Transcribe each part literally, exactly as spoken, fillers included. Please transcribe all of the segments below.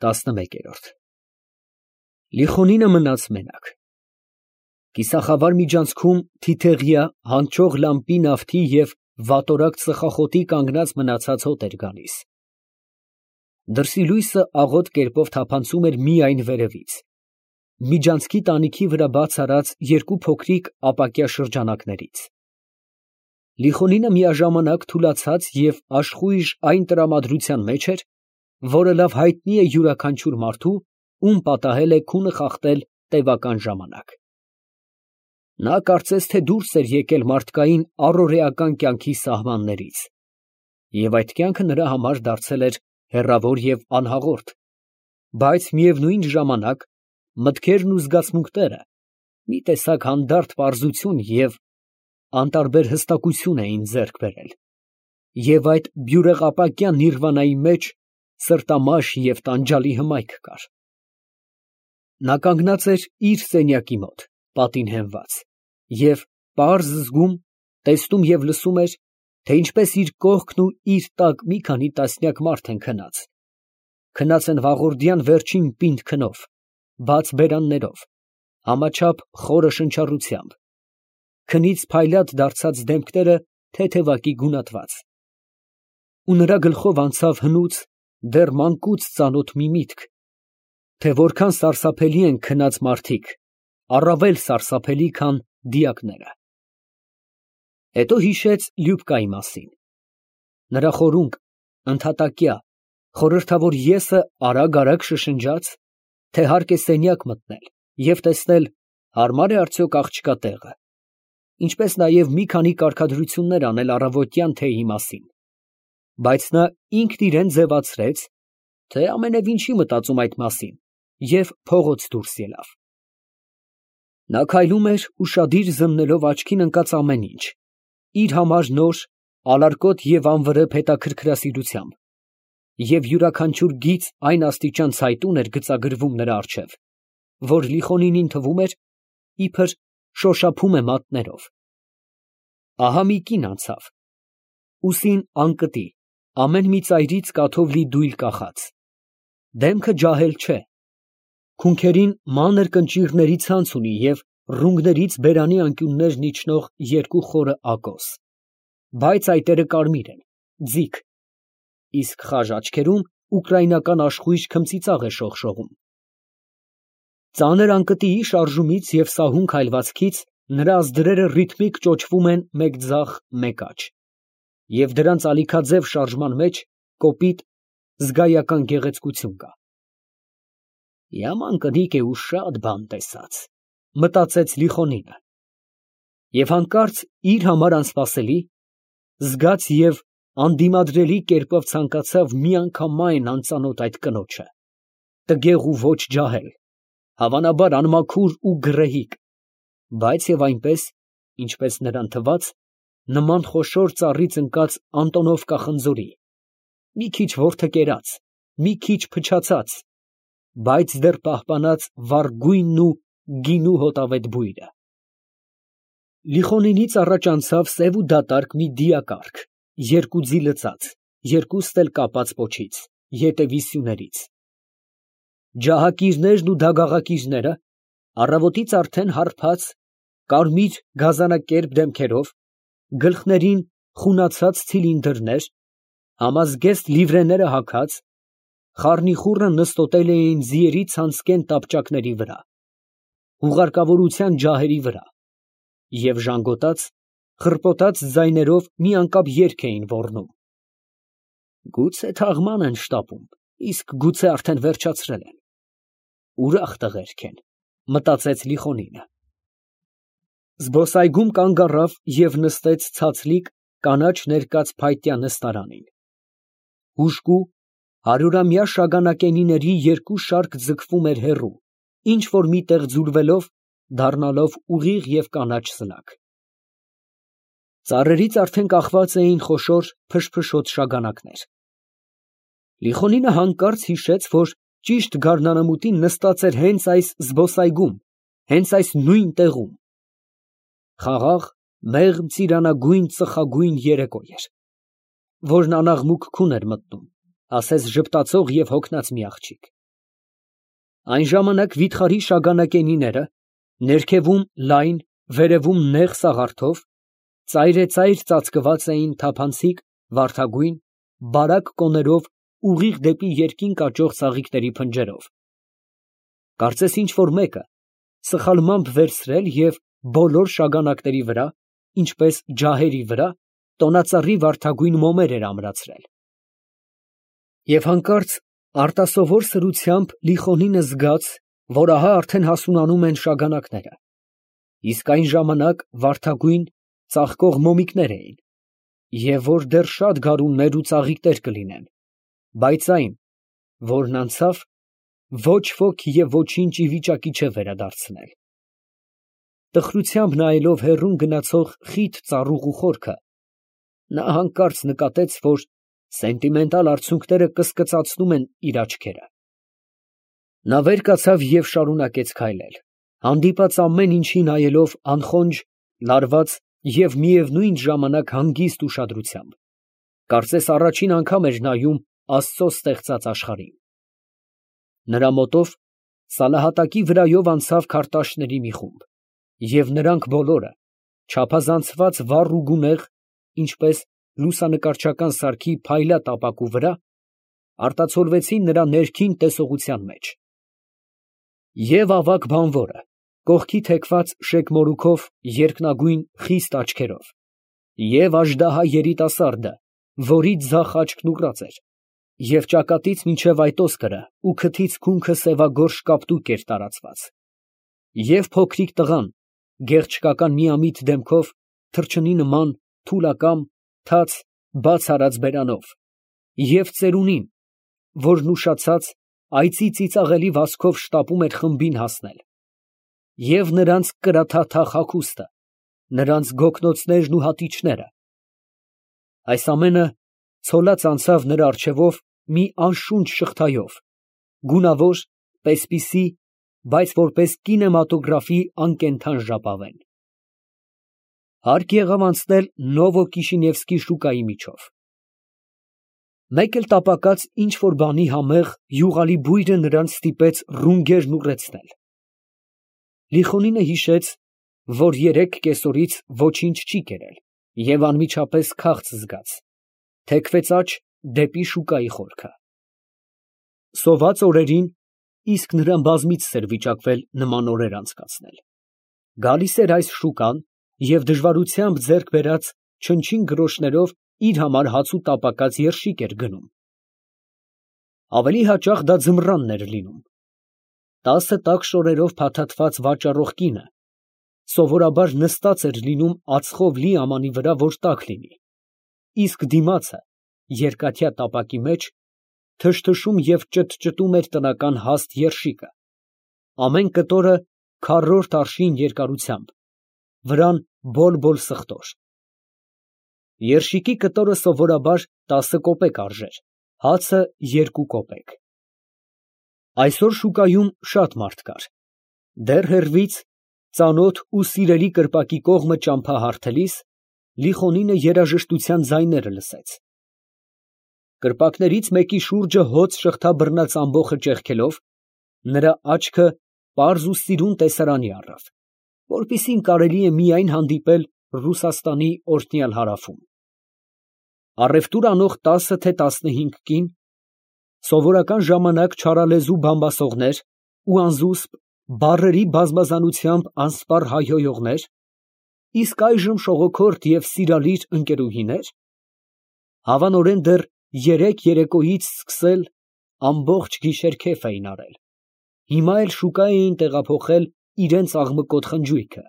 տասնմեկերորդ Լիխոնինը մնաց մենակ։ Կիսախավար միջանցքում թիթեղյա հանճող լամպի նավթի և վատորակ ծխախոտի կանգնած մնացած հոտ էր գալիս։ Դրսի լույսը աղոտ կերպով թափանցում էր միայն վերևից, միջանցքի տանիքի վրա բաց արած երկու փոքրիկ ապակյա շրջանակներից։ Լիխոնինը միաժամանակ թուլացած և աշխույժ այն տրամադրության մեջ էր, որը լավ հայտնի է յուրաքանչյուր մարդու, ում պատահել է քունը խախտել տևական ժամանակ։ Նա կարծես թե դուրս էր եկել մարդկային առօրեական կյանքի սահմաններից, և այդ կյանքը նրա համար դարձել էր հեռավոր և անհաղորդ, բայց միևնույն ժամանակ մտքերն ու զգացմունքները մի տեսակ հանդարտ պարզություն և անտարբեր հստակություն էին ձեռք բերել, և այդ բյուրեղապակյա նիրվանայի մեջ սրտամաշ և տանջալի հմայք կար։ Նա կանգնած էր իր սենյակի մոտ, պատին հենված, և պարզ զգում, տեսնում և լսում էր, թե ինչպես իր կողքն ու իր տակ մի քանի տասնյակ մարդ են քնած, քնած են վաղորդյան վերջին պինդ քնով, բաց բերաններով, համաչափ խորը շնչառությամբ, քնից փայլատ դարձած դեմքները թեթևակի գունատված։ Ու նրա գլխով անցավ հնուց, դեռ մանկուց ծանոթ մի միտք, թե որքան սարսափելի են քնած մարդիկ, առավել սարսափելի, քան դիակները։ Հետո հիշեց Լյուբկայի մասին։ Նրա խորունկ, ընդհատակյա, խորհրդավոր ես֊ը արագ֊արագ շշնջաց, թե հարկ է սենյակ մտնել և տեսնել հարմար է արդյոք աղջկա տեղը, ինչպես նաև մի քանի կարգադրություններ անել առավոտյան թեյի մասին, բայց նա ինքն իրան ձևացրեց, թե ամենևին չի մտածում այդ մասին, և փողոց դուրս ելավ։ Նա քայլում էր ուշադիր զննելով աչքին ընկած ամեն ինչ, իր համար նոր, ալարկոտ և անվրեպ հետաքրքրասիրությամբ, և յուրաքանչյուր գիծ այն աստիճան ցայտուն էր գծագրվում նրա առջև, որ Լիխոնինին թվում էր, իբր շոշափում է մատներով։ Ահա մի կին անցավ, ուսին անկտի, ամեն մի ծայրից կաթով լի դույլ կախած, դեմքը ջահել չէ, քունքերին մանր կնճիռների ցանց ունի և ռունգներից բերանի անկյուններն իջնող երկու խորը ակոս, բայց այտերը կարմիր են, ձիգ, իսկ խաժ աչքերում ուկրաինական աշխույժ քմծիծաղ է շողշողում։ Ծանր անկտիի շարժումից և սահուն քայլվածքից նրա ազդրերը ռիթմիկ ճոճվում են մեկ ձախ, մեկ աջ, և դրանց ալիքաձև շարժման մեջ կոպիտ, զգայական գեղեցկություն կա։ Yaman կնիկ է ու շատ բան տեսած, մտածեց Լիխոնինը, և հանկարծ իր համար անսպասելի, զգաց և անդիմադրելի կերպով ցանկացավ միանգամայն անծանոթ այդ կնոջը, տգեղ ու ոչ ջահել, հավանաբար անմաքուր ու գռեհիկ, բայց և այնպես, ինչպես նրան թվաց, նման խոշոր ծառից ընկած Անտոնովկա խնձորի, մի քիչ որդկերած, մի քիչ փչացած, բայց դեռ պահպանած վառ գույնն ու գինու հոտավետ բույրը։ Լիխոնինից առաջ անցավ սև ու դատարկ մի դիակառք, երկու ձի լցած, երկուստ էլ կապած պոչից, ետևի սյուներից։ Ջահակիրներն ու դագաղակիրները, առավոտից արդեն հարբած, կարմիր գազանակերպ դեմքերով, գլխներին խունացած ցիլինդրներ, համազգեստ լիվրեները հագած, խառնիխուռը նստոտել էին ձիերի ցանցկեն տապճակների վրա, հուղարկավորության ջահերի վրա, և ժանգոտած, խռպոտած ձայներով մի անկապ երգ էին ոռնում։ Գուցե թաղման են շտապում, իսկ գուցե արդեն վերջացրել են։ Ուրախ տղերք են, մտածեց Լիխոնինը։ Զբոսայգում կանգ առավ և նստեց ցածլիկ, կանաչ ներկած փայտյա նստարանին։ Հուժկու, հարյուրամյա շագանակենիների երկու շարք ձգվում էր հեռու, ինչ֊որ մի տեղ ձուլվելով, դառնալով ուղիղ և կանաչ սնակ։ Ծառերից արդեն կախված էին խոշոր փշփշոտ շագանակներ։ Լիխոնինը հանկարծ հիշեց, որ ճիշտ գարնանամուտին նստած էր հենց այս զբոսայգում, հենց այս նույն տեղում։ Խաղաղ, մեղմ ծիրանագույն ծխագույն երեկո էր, որն անաղմուկ քուն էր մտնում, ասես ժպտացող և հոգնած մի աղջիկ։ Այն ժամանակ վիթխարի շագանակենիները, ներքևում լայն, վերևում նեղ սաղարթով, ծայրեծայր ծածկված էին թափանցիկ, վարդագույն, բարակ կոներով ուղիղ դեպի երկինք աճող ծաղիկների փնջերով. կարծես ինչ֊որ մեկը սխալմամբ վերցրել և բոլոր շագանակների վրա, ինչպես ջահերի վրա, տոնածառի վարդագույն մոմեր էր ամրացրել։ Եվ հանկարծ արտասովոր սրությամբ Լիխոնինը զգաց, որ ահա արդեն հասունանում են շագանակները, իսկ այն ժամանակ վարդագույն, ծաղկող մոմիկներ էին, և որ դեռ շատ գարուններ ու ծաղիկներ կլինեն, բայց այն, որն անցավ, ոչ ոք և ոչինչ ի վիճակի չէ վերադարձնել։ Տխրությամբ նայելով հեռուն գնացող խիտ ծառուղու խորքը, նա հանկարծ նկատեց, որ սենտիմենտալ արցունքները կսկծացնում են իր աչքերը։ Նա վեր կացավ և շարունակեց քայլել, հանդիպած ամեն ինչի նայելով անխոնջ, լարված և միևնույն ժամանակ հանգիստ ուշադրությամբ, կարծես առաջին անգամ էր նայում Աստծո ստեղծած աշխարհին։ Նրա մոտով սալահատակի վրայով անցավ քարտաշների մի խումբ, և նրանք բոլորը, չափազանցված վառ ու գունեղ, ինչպես լուսանկարչական սարքի փայլատ ապակու վրա, արտացոլվեցին նրա ներքին տեսողության մեջ. և ավագ բանվորը, կողքի թեքված շեգ մորուքով երկնագույն խիստ աչքերով, և աժդահա երիտասարդը, որի ձախ աչքն ուռած էր, և ճակատից մինչև այդ ոսկրը ու քթից քունքը սևագորշ կապտուկ էր տարածված, և փոքրիկ տղան, գեղչկական միամիտ դեմքով, թռչնի նման, թուլակամ, թաց, բաց արած բերանով, և ծերունին, որն ուշացած, այծի ծիծաղելի վազքով շտապում էր խմբին հասնել, և նրանց կրաթաթախ հագուստը, նրանց գոգնոցներն ու հատիճները, այս ամենը ցոլած անցավ նրա առջևով մի անշունչ շղթայով, գունավոր, պես֊պիսի, բայց որպես կինեմատոգրաֆի անկենդան ժապավեն։ Հարկ եղավ անցնել Նովո֊Կիշինևսկի շուկայի միջով։ Մեկ էլ տապակած ինչ֊որ բանի համեղ, յուղալի բույրը նրանց ստիպեց ռունգերն ուռեցնել։ Լիխոնինը հիշեց, որ երեկ կեսօրից ոչինչ չի կերել և անմիջապես քաղց զգաց, թեքվեց աջ դեպի շուկայի խորքը։ Սոված օրերին իսկ նրան բազմիցս էր վիճակվել նման օրեր անցկացնել։ Գալիս էր այս շուկան և դժվարությամբ ձեռք բերած չնչին գրոշներով իր համար հաց ու տապակած երշիկ էր գնում։ Ավելի հաճախ դա ձմռանն էր լինում։ Տասը տաք շորերով փաթաթված վաճառող կինը սովորաբար նստած էր լինում ածխով լի ամանի վրա, որ տաք լինի, իսկ դիմացը, երկաթյա տապակի մեջ, թշթշում և ճտճտում էր տնական հաստ երշիկը, ամեն կտորը քառորդ արշին երկարությամբ, վրան բոլ֊բոլ սխտոր։ Երշիկի կտորը սովորաբար տասը կոպեկ արժեր, հացը երկու կոպեկ։ Այսօր շուկայում շատ մարդ կար։ Դեռ հեռվից, ծանոթ ու սիրելի կրպակի կողմը ճամփահարթելիս, Լիխոնինը երաժշտության ձայները լսեց։ Կրպակներից մեկի շուրջը հոծ շղթա բռնած ամբոխը ճեղքելով, նրա աչքը պարզ ու սիրուն տեսարանի առավ, որպիսին կարելի է միայն հանդիպել Ռուսաստանի օրհնյալ հարավում։ Առևտուր անող տասը թե տասնհինգ կին, սովորական ժամանակ չարալեզու բամբասողներ ու անզուսպ, բառերի բազմազանությամբ անսպառ հայհոյողներ, իսկ այժմ շողոքորթ և սիրալիր ընկերուհիներ, հավանորեն դեռ երեկ երեկոյից սկսել ամբողջ գիշեր քեֆ էին արել, հիմա էլ շուկա էին տեղափոխել իրենց աղմկոտ խնջույքը։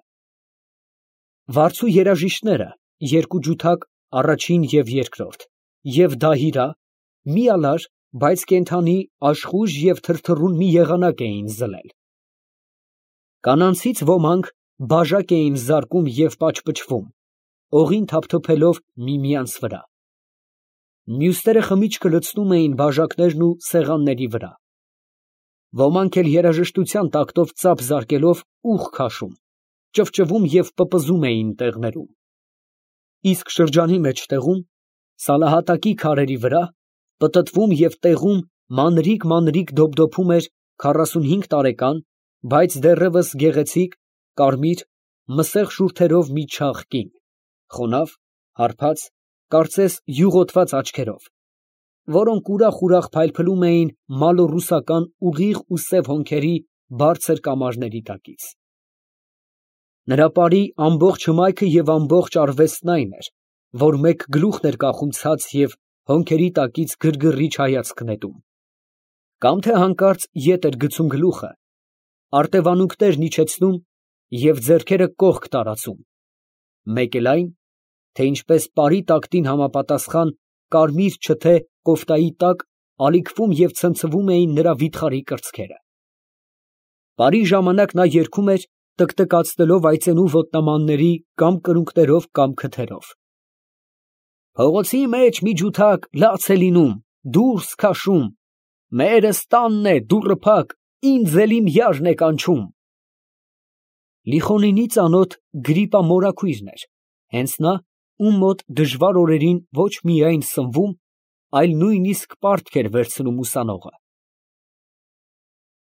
Վարձու երաժիշտները, երկու ջութակ, առաջին և երկրորդ, և դահիրա, մի ալար, բայց կենդանի, աշխույժ և թրթռուն մի եղանակ էին զլել։ Կանանցից ոմանք բաժակ էին զարկում և պաճպճվում, օղին թափթփելով միմյանց վրա։ Մյուսները խմիչքը լցնում էին բաժակներն ու սեղանների վրա։ Ոմանք էլ երաժշտության տակտով ծափ զարկելով ուղ քաշում, ճվճվում և պպզում էին տեղներում։ Իսկ շրջանի մեջտեղում, սալահատակի քարերի վրա, պտտվում և տեղում մանրիկ֊մանրիկ դոպդոպում էր քառասունհինգ տարեկան, բայց դեռևս գեղեցիկ, կարմիր, մսեղ շուրթերով մի չաղ կին, խոնավ, հարբած, կարծես յուղոտված աչքերով, որոնք ուրախ֊ուրախ փայլփլում էին մալոռուսական ուղիղ ու սև հոնքերի բարձր կամարների տակից։ Նրա պարի ամբողջ հմայքը և ամբողջ արվեստն այն էր, որ մեկ գլուխն էր կախում ցած և հոնքերի տակից գրգռիչ հայացք նետում, կամ թե հանկարծ ետ էր գցում գլուխը, արտևանունքներն իջեցնում և ձեռքերը կողք տարածում, մեկ էլ այն, թե ինչպես պարի տակտին համապատասխան կարմիր չթե կոֆտայի տակ ալիքվում և ցնցվում էին նրա վիթխարի կրծքերը։ Պարի ժամանակ նա երգում էր, տկտկացնելով այծենու ոտնամանների կամ կրունկներով, կամ քթերով. Փողոցի մեջ մի ջութակ լաց է լինում, դուրս քաշում, մերս տանն է, դուռը փակ, ինձ էլ իմ յարն է կանչում։ Լիխոնինի ծանոթ Գրիպա մորաքույրն էր, հենց նա, ում մոտ դժվար օրերին ոչ միայն սնվում, այլ նույնիսկ պարտք էր վերցնում ուսանողը։